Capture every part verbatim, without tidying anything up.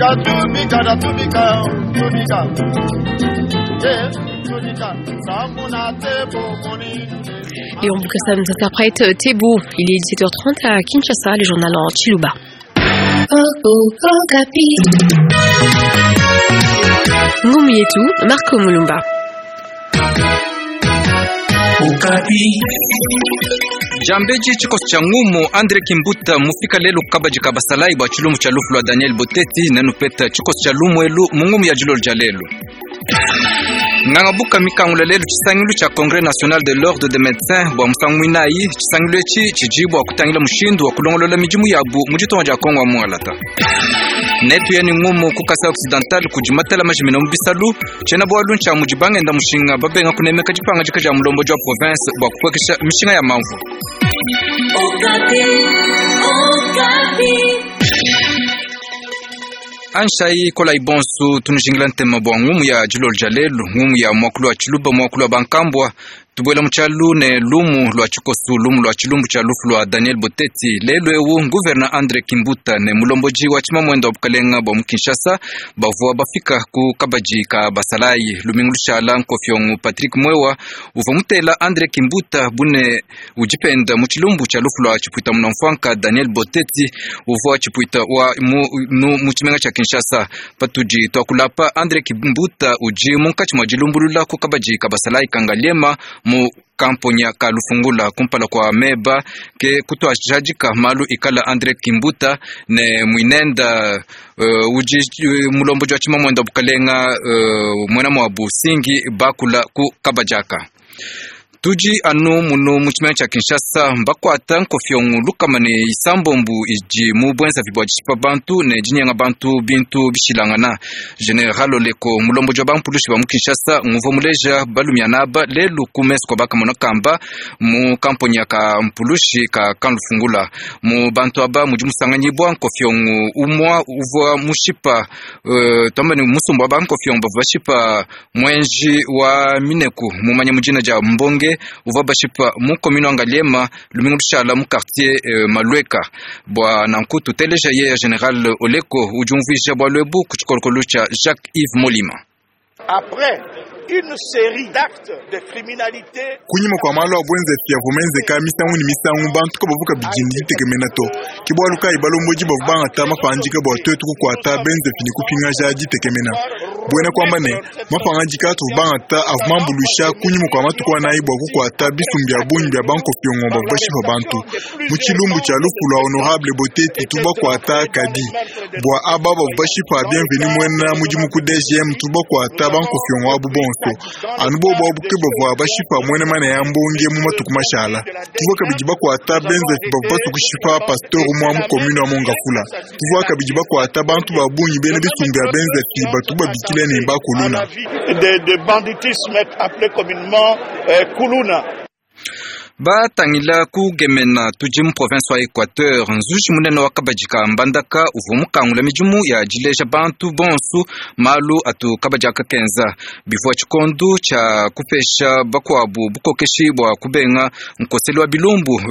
Léon Bukassa nous interprète Tebo. Il est dix-sept heures trente à Kinshasa, le journal en Tshiluba. Ngumu yetu, Marco Mulumba. Jambeji chikosi cha ngumu Andre Kimbuta mufika lelu kabaji kabasalai bwa chilumu cha lufu lwa Daniel Boteti nenupeta chikosi cha lumwelu mungumu ya jilolo ja lelu. Ngangabuka mikangula lelu chisangilu cha Congrès National de l'Ordre des Médecins bwa musangu mwinayi chisangilu echi chijibwa kutangila mushindu wa kulongolola mijimu yabu mujitonga ja Kongo wa mualata. Netu yani ngumu ku Kasai Occidental kujimatela majimina mu bisalu chena bwalu ncha mujibanga enda mushinga babenga kunemeka jipanga jika ja mulombo jwa province bwa kukwekesha mishinga ya mamvu. Anshai kola ibonsu tunujingila ntema bwa ngumu ya jilolo ja lelu ngumu ya mwakulu wa chiluba mwakulu wa bankambwa tubwela muchalu ne lumu lwa chikosu lumu lwa chilumbu cha lufu lwa Daniel Boteti lelu ewu gouverneur Andre Kimbuta ne mulomboji wa chimamwendo wa bukalenga bwa mu Kinshasa bavua bafika ku kabaji ka basalayi lumingu lushala nkofyongu Patrick Mwewa uva mutela Andre Kimbuta bune ujipenda mu chilumbu cha lufu lwa chipwita munamfwanka Daniel Boteti uvua chipwita wa mu, mu, mu chimenga cha Kinshasa patuji twakulapa Andre Kimbuta uji munkachi mwa jilumbulula ku kabaji ka basalayi kangaliema mu kamponya ka lufungula kumpala kwa meba ke kutwajajika malu ikala Andre Kimbuta ne mwinenda uh, uji uh, mulombo jwa chimamwenda bukalenga uh, mwena mwa busingi bakula ku kabajaka. Tuji anu munu mu chimene cha Kinshasa mbakwata nkofyongu lukama ne isambombu iji mu bwenza vibwa jishipa bantu ne jinyenga bantu bintu bishilangana. General Oleko mulombo jwa bampulushi ba mu Kinshasa nguvo muleja balumya naba lelu ku meso kwa bakamona kamba mu kamponya ka mpulushi ka kanlufungula mu bantu aba muji musanganyibwa nkofyongu umwa uvwa mushipa uh, twamba ni musumbu wa bankofyongu bavua bashipa mwenji wa mineku mumanya mujina ja mbonge uva bashipa mu commune Ngaliema lumingu lushala mu quartier euh, Malweka bwa nanku tuteleja ye General Oleko ujumvisha bwa lwebu ku chikolokolo cha Jacques Yves Molima. Après une série d'actes de criminalité kunyima kwa malu a bwenzefi ya vumenzeka misangu ni misangu bantu kabavuka bijini ditekemena to ke bwalu kayi balomboji bavu bangata mapanjika bwa twetu kukwata benzefi ni kupingaja ditekemena bwena kwamba ne mapangadika atuvu bangata avu mambulusha kunyima kwa matuku anayi bwa kukwata bisumbi bya bungi bya bankofyongo bavu bashipa bantu mu tshilumbu tshia lufu lwa honorable Boteti tubakwata kadi bwa aba bavu bashipa bienvenu mwena mudimu ku D G M tubakwata bankofyongo abu bonso anu bobo abuke bavua bashipa mwene mana ya mbonge mu matuku mashala tuvua kabidi bakwata benzefi bavua basukushipa pasteur mwa mu commune wa Mongafula tuvua kabidi bakwata bantu ba bungi bene bisumbi ya benzefi batu babikile ne bakuluna de, de banditisme appelé communément euh, kuluna. Batangila kugemena tuji mu province wa Equateur nzuji munene wa kabajika mbandaka uvu mukangula mijimu ya jileja bantu bonsu malu atu kabajaka kenza bivua chikondu cha kupesha bakwabu bukokeshi bwa kubenga nkoseli wa bilumbu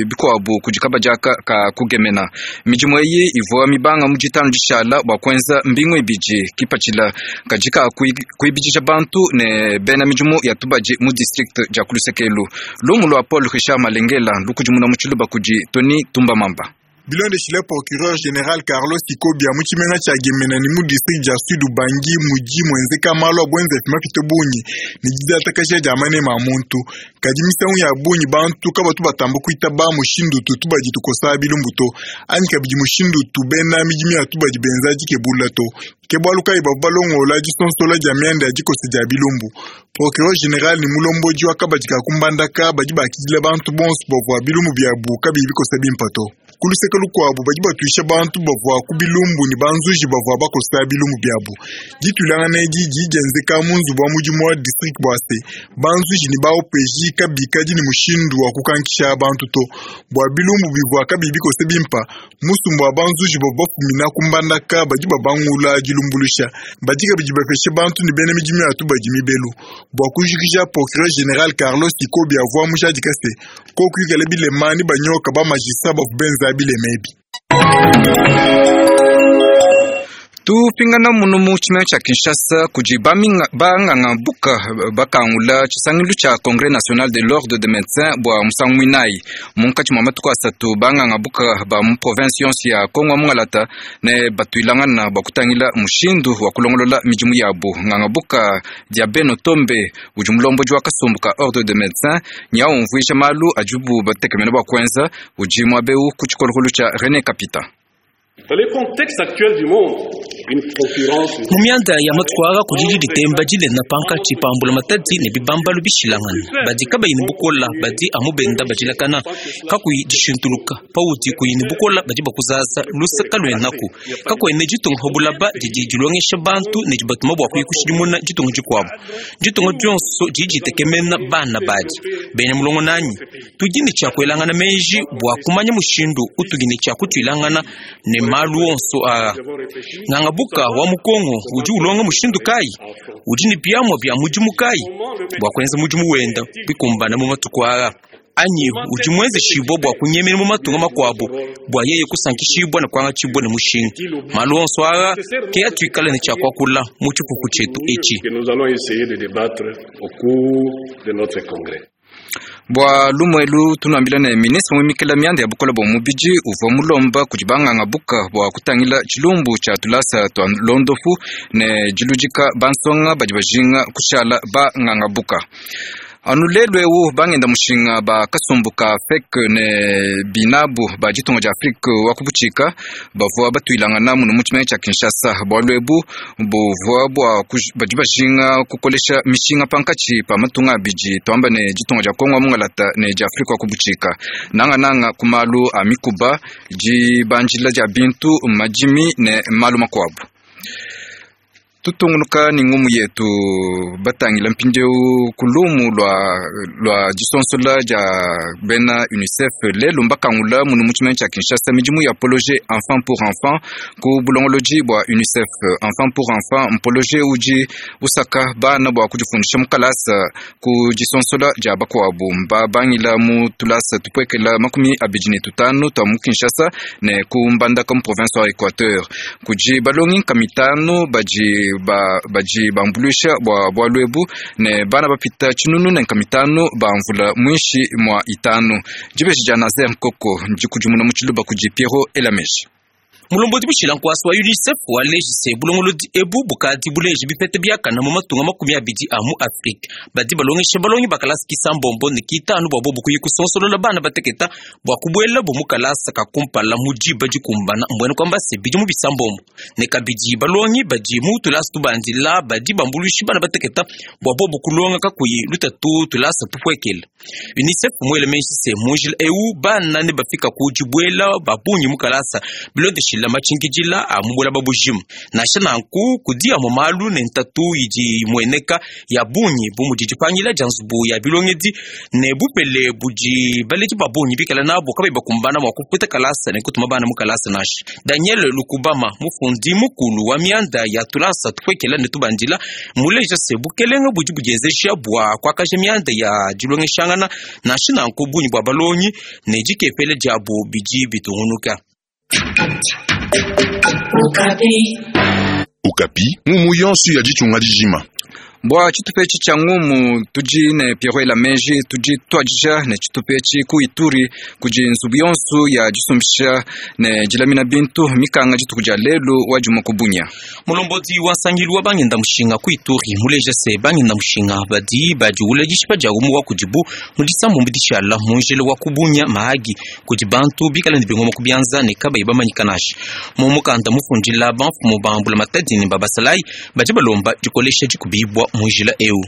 bikwabu kuji kabajaka ka kugemena mijimu eyi ivua mibanga mujitanu jishala bwa kwenza mbingu ibiji kipachila kajika kuibijisha bantu ne bena mijimu ya tubaji mu district ja kulusekelu lumu lwa Paul Richard Malengela lukujimuna muchiluba kuji Tony Tumba Mamba. Bilondeshile procureur général Carlos Ikobia mu tshimenga tshia Gemena ni mu district dia Sud Ubangi muji mwenzeka malu a bwenzefi mapite bungi ni didiatakasha dia manema a muntu kadi misangu ya bungi bantu kabatu batamba kuitaba mushindu tu tubadi tukosa bilumbu to anyi kabidi mushindu tu bena midimu ya tubadi benza dikebula to ke bwalu kayi bavu balongola disonsola dia mianda ya dikosa dia bilumbu. Procureur général ni mulomboji wa kabadi ka kumbandaka badi bakidila bantu bonso bavua bilumbu biabu kabiyi bikosa bimpa to. Kuluseke lukuabu badi batuisha bantu bavua ku bilumbu ni banzuji bavua bakosa bilumbu biabu. Ditulangana edi didi dienzeka mu nzubu wa mudimu wa district bua se banzuji ni ba O P J kabikadi ni mushindu wa kukankisha bantu to bua bilumbu bivua kabiyi bikose bimpa musumbu wa banzuji bavua bafumina kumbandaka badi babangula dilumbulusha badi kabidi bapeshe bantu ni bena midimu ya tubadi mibelu bua kujikija. Procureur général Carlos Ikobi avua mujadika se kokuikala bilema ni banyoka ba magistrat bavu benza bilema ebi. Tupingana muno mu tshimenga tshia Kinshasa kudi banganga buka bakangula tshisangilu tshia Congrès national de l'ordre des médecins bua musangu muinayi munkatshi mua matuku asatu. Banganga buka ba mu province yonso ya Kongo Mungalata ne batuilangana bua kutangila mushindu wa kulongolola midimu yabo. Nganga buka Diabeno Tombe udi mulombodi wa kasumbu ka ordre de médecins nya umvuija malu adibu batekemena bua kuenza udi muabeu ku tshikolokolo tshia René Kapita. Dans le contexte actuel du monde, une concurrence mu mianda ya matwara kudidi ditemba dilena pankatshi pambula matadi ne bibambalu bishilangana badi kabayi ne bukola badi amu benda badilakana kakuyi dishintuluka paudi kuyi ne bukola badi bakuzaza lusaka luenaku kakuene ditunga pa bulaba didi dilongesha bantu ne dibatuma bua kuyi kushidimuna ditunga dikuabu ditunga dionso didi ditekemena bana badi bena mulongo nanyi tudi ne tshia kuelangana meji bua kumanya mushindu utudi ne tshia kutuilangana ne malu onso aa. Nganga buka wa mukongo udi ulonga mushindu kayi udi ne biamua bia mudimu kayi bua kuenza mudimu wenda bikumbana mu matuku aa anyi udi muenzeshibua bua kunyemena mu matunga makuabu bua yeye kusankishibua ne kuangatshibua ne mushinga. Malu onso aa ke atuikale ne tshia kuakula mu tshipupu tshietu etshi. que nous allons essayer de débattre au cours de notre congrès. Bua lumuelu tunuambila ne ministre muimikila mianda ya bukola bua mubidi uvua mulomba kudi banganga buka bua kutangila tshilumbu tshia tulasa tua londofu ne diludika bansonga badi bajinga kushala banganga buka. Anu lelu eu bangenda mushinga ba kasumbu ka F E C ne binabu ba ditunga dia Afrique wa kubutshika bavua batuilangana muno mu tshimenga tshia Kinshasa. Bualu ebu buvua bua badi bajinga kukolesha mishinga pankatshi pa matunga abidi, tuamba ne ditunga dia Kongo wa Mungalata ne dia Afrique wa kubutshika, nangananga ku malu a mikuba, dibanjila dia bintu, madimi ne malu makuabu. Tutungunuka ni ngumu yetu batangila mpindieu ku lumu lua, lua disonsola dia bena UNICEF. Lelu mbakangula munu mu tshimenga tshia Kinshasa midimu ya projet Enfant pour Enfant ku bulongolodi bua UNICEF. Enfant pour Enfant mprojet udi usaka bana bua kudifundisha mu kalasa ku disonsola dia bakuabu. Mbabangila mu tulasa tupuekela makumi abidi ne tutanu tua mu Kinshasa ne ku Mbandaka mu province wa Equateur. Kudi balongi nkama itanu badi ba badi bambuluisha bua bualu ebu ne bana bapita tshinunu ne nkama itanu bamvula muinshi mua itanu. Dibeji dia Nazer Nkoko ndikudimuna mu tshiluba kudi Piero Elameji. Mulombodi bushila nkwasi wa UNICEF walejise bulongolodi ebu bukadi buleji bipete biakana mu matunga makumi abidi a mu Afrika. Badi balongesha balongi bakalasa kisambombo ne kitanu bua bobu kuyi kusonsolola bana bateketa bua kubuela bo mu kalasa kakumpala mu diba dikumbana, mbwene kwamba se bidi mu bisambombo ne kabidi balongi badi mu tulasa tubandila badi bambuluishi bana bateketa bua bobu kulonga kakuyi lutatu tulasa tupuekela. UNICEF muele meji se munjila eu bana ne bafika ku dibuela babungi mu kalasa bilondeshila matshinkidila a mubula babujima. Nansha nanku kudi amue malu ne ntatu idi imueneka ya bungi bu mudi dipangila dia nzubu ya bilongedi ne bupele budi baledi ba bungi bikala nabo kabayi bakumbana mua kufuta kalasa ne kutuma bana mu kalasa nansha. Daniel Lukubama, mufundi mukulu wa mianda ya tulasa tupuekela ne tubandila, muleja se bukelenga budi budienzesha bua kuakaja mianda ya dilongeshangana. Nansha nanku bungi bua balongi ne dikepele diabu bidi bitungunuka. Okapi ngumu yonso ya ditunga dijima. Bua tshitupa etshi tshia ngumu tudi ne Piero Elameji. Tudi tuadija ne tshitupa etshi ku Ituri kudi nzubu yonso ya disumbisha ne dilamina bintu mikanga dituku dia lelu wa dimue ku Bunia. Mulombodi wa nsangilu wa bangenda mushinga ku Ituri muleja se bangenda mushinga badi badiwula dishipa dia umu wa kudibu mu disambombo dishala mu njila wa ku Bunia Mahagi kudi bantu bikala ne bingoma ku bianza ne kabayi bamanyika nansha. Mu mukanda mufundila bamfumu ba mbula matadi ne babasalayi badi balomba dikolesha dikubibwa mu njila eu.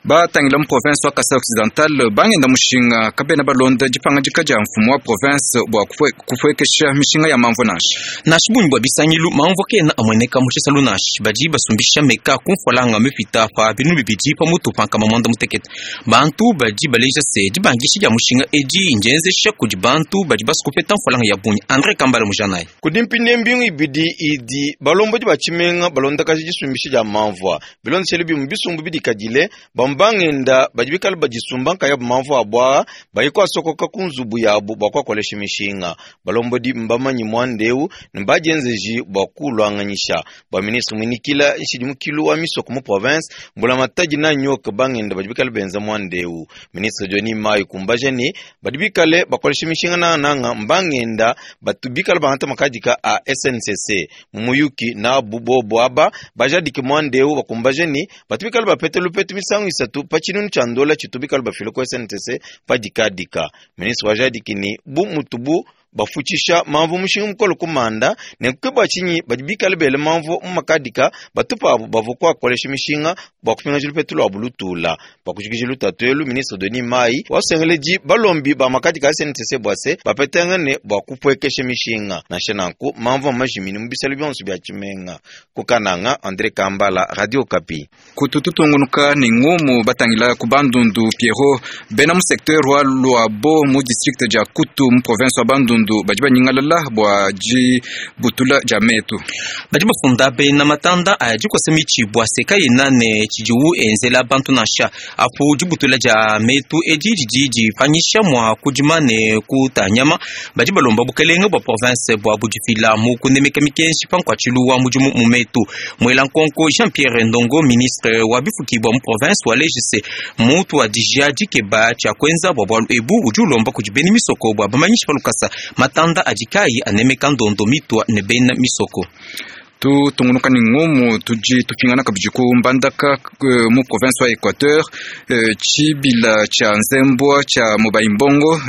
Batangila mu province wa Kasai Occidental, bangenda mushinga kabena balonda dipangadika dia mfumu wa province bua kupuekesha mishinga ya mamvu nansha. Nansha bungi bua bisangilu mamvu kena amueneka mu tshisalu nansha. Badi basumbisha meka ku mfualanga mipita pa binunu bibidi pa mutu pa nkama mwanda mutekete. Bantu badi baleja se dibangisha dia mushinga edi ndienzesha kudi bantu badi basukupeta mfualanga ya bungi. Andre Kambala mujanayi. Kudi mpinde mbingu ibidi idi balombodi ba tshimenga balondakaji disumbisha dia mamvua bilondeshele bimu bisumbu bidikadile bambu. Bamwe bangenda badi bikale badisumba nkayabu mamvu abwa bayi kwasokoka ku nzubu yabu bua kuakolesha mishinga. Balombodi mbamanyi mwandeu ne badienzeji bua kulwanganyisha. Bua ministre mwinikila nshidi mukilu wa misoko mu province mbula matadi na nyoka bangenda badi bikale benza mwandeu. Ministre Johnny Mayi kumbaja ne badi bikale bakolesha mishinga nangananga mbangenda batu bikale bangata makadika a S N C C mumuyuki na bubobo aba bajadike mwandeu bakumbaja ne batu bikale bapete lupetu misangu isatu pa tshinunu tshia ndola tshitu bikale bafile ku S N C C padikadika. Ministre wajadiki ni bu mutubu bafutshisha mamvu mushinga mukolo kumanda ne kukeba tshinyi badi bikale bele mamvu mu makadika batupa abo bavua kuakolesha mishinga bua kupingaja lupetu lua bulutula. Bua kujikija lutatu elu, ministre Denis Mayi wasengeledi balombi ba makadika a S N C C bua se bapetangane bua kupuekesha mishinga. Nansha nanku mamvu amajimini mu bisalo bionso bia tshimenga. Kukananga, André Kambala, Radio Okapi. Kutututungunuka ni ngumu batangila ku Bandundu Pierrot bena mu secteur wa Luabo mu district dia Kutu mu province wa Bandundu badi banyingalala bua dibutula dia metu. Badi bafunda bena matanda aya dikosa mitshi bua seka yena ne tshidiwu enzela bantu nansha. Apu dibutula dia metu edi didi dipanyisha mua kudima ne kutanyama. Badi balomba bukelenge bua province bua budifila mu kunemeka mikenji pa nkuatshilu wa mudimu mu metu. Mwela nkonko Jean-Pierre Ndongo, ministre wa bifuki bua mu province wa Legise, mutu wa dijia dikeba tshia kuenza bua bualu ebu udi ulomba kudi bena misoko bua bamanyishe pa lukasa matanda adi kayi anemeka ndondo mitwa ne bena misoko. Tutungunuka ni ngumu tudi tupingana kabidi ku Mbandaka mu province wa Equateur, tshibila tshia Nzembwa tshia Mobayimbongo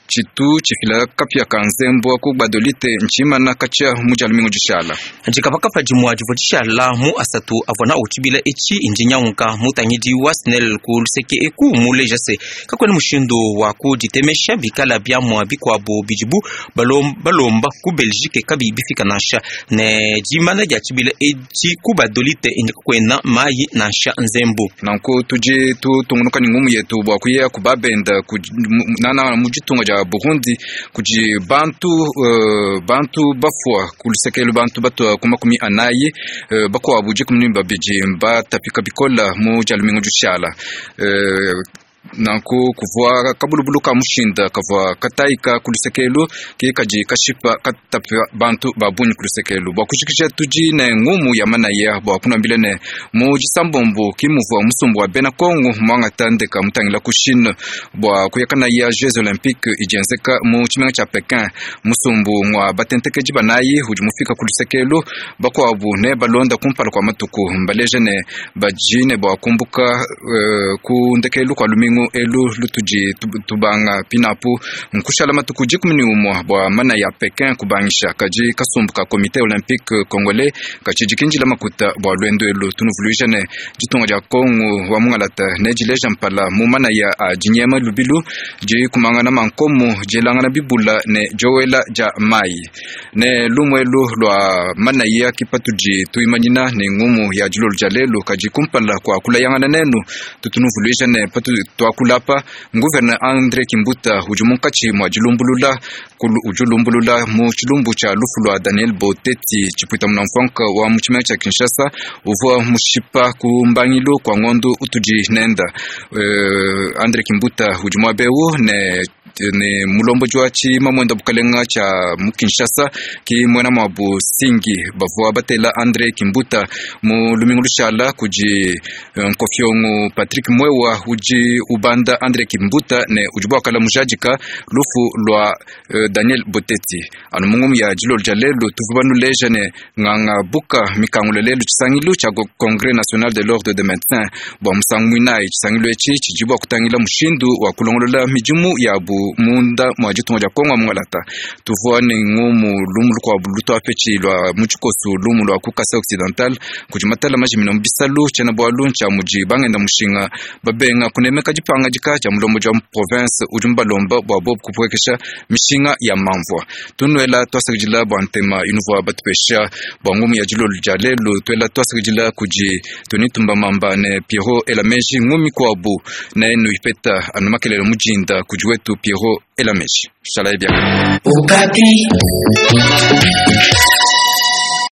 tshitu tshifila kapia ka Nzembwa ku Gbadolite ntshimana katshia mu dia lumingu dishala. Dikapakapa dimua divua dishala mu asatu avua na utshibila etshi indi nyaunka mutangidi wa SNEL ku luseke eku muleja se kakuena mushindu wa kuditemesha bikala biamua bikuabu bidibu balomba ku Belgique kabi bifika nansha ne dimana dia tshibila etshi ku Gbadolite indi kakuena mayi nansha Nzembu. Nanku tudi tutungunuka ni ngumu yetu bua kuya ku babenda ku nana mu ditunga dia Burundi kudi bantu uh, bantu bafua kulusekelu bantu batua ku makumi anayi uh, bakuabu dikumi ne babidi mbatapika bikola mu dia lumingu dishala. Uh, nanku kuvua kabulubulu ka mushinda kavua kataika kulusekelu ke kadi kashipa katapa bantu ba bungi kulusekelu. Bua kujikija tudi ne ngumu ya manaya bua kunambila ne mu disambombo kimuvua musumbu wa bena Kongo mwangata ndeka mutangila ku Chine bua kuyakana ya Jeux Olympiques idienzeka mu tshimenga tshia Pekin. Musumbu mwa batentekedi banayi udi mufika kulusekelu bakuabu ne balonda kumpala kwa matuku mbaleje ne bajine bua kumbuka uh, ku ndekelu kwa lumingu elu lutudi tubanga pinapu nkushala matuku dikumi ne umua bua mana ya Pekin kubangisha kadi kasumbu ka comité olympique congolais katshidi makuta bua lwendo elu. Tunuvuluija ne ditunga dia Kongo wa mungalata ne dileja mpala mu mana ya a dinyema lubilu dikumangana mankomu dielangana bibula ne diowela dia mayi ne lumwelu lwa mana ya kipatudi tuimanyina ne ngumu ya dilolo dia lelu kadi kumpala kwa kulayangana nenu. Tutunuvuluija ne patu twakulapa gouverneur André Kimbuta udi munkatshi mua dilumbulula udi mu tshilumbu tshia lufu lwa Daniel Boteti tshipwita munamfanka wa mu tshimenga tshia Kinshasa uvua mushipa ku mbangilu kwa ngondo utudi nenda. Uh, André Kimbuta udi muabeu ne ne mulombo jwa tshimamwenda bukalenga tshia mu Kinshasa ki mwena mwabu singi bavua batela André Kimbuta mu lumingu lushala kudi nkofyongo Patrick Mwewa udi ubanda André Kimbuta ne udi bwakala mujadika lufu lwa uh, Daniel Boteti. Anu mungumu ya dilolo dia lelu tuvu banuleja ne nganga buka mikangulo lelu tshisangilu tshia Congrès national de l'ordre de médecins bua musangu muinayi. Tshisangilu etshi tshidi bua kutangila mushindu wa kulongolola midimu yabu munda mwa ditunga dia Kongo mungalata. Tuvua ne ngumu lumu lukuabu lutwapetshi lwa mu tshikosu lumu lwa ku Kasai Occidental kudi matala majimina mu bisalu tshiena bualu ntshia mudi bangenda mushinga babenga kunemeka dipangadika dia mulombo dia province udi mubalomba bua bobu kupuekesha mishinga ya mamvua. Tunuela twasakidila bua ntema inuvua batupesha bua ngumu ya dilolo dia lelu. Tuela twasakidila kudi Tony Tumbamamba ne Pierrot Elameji ngumi kuabu ne nuipeta anu makelele mujinda kudi wetu Pierrot Elameji. Shalai bien. Okapi.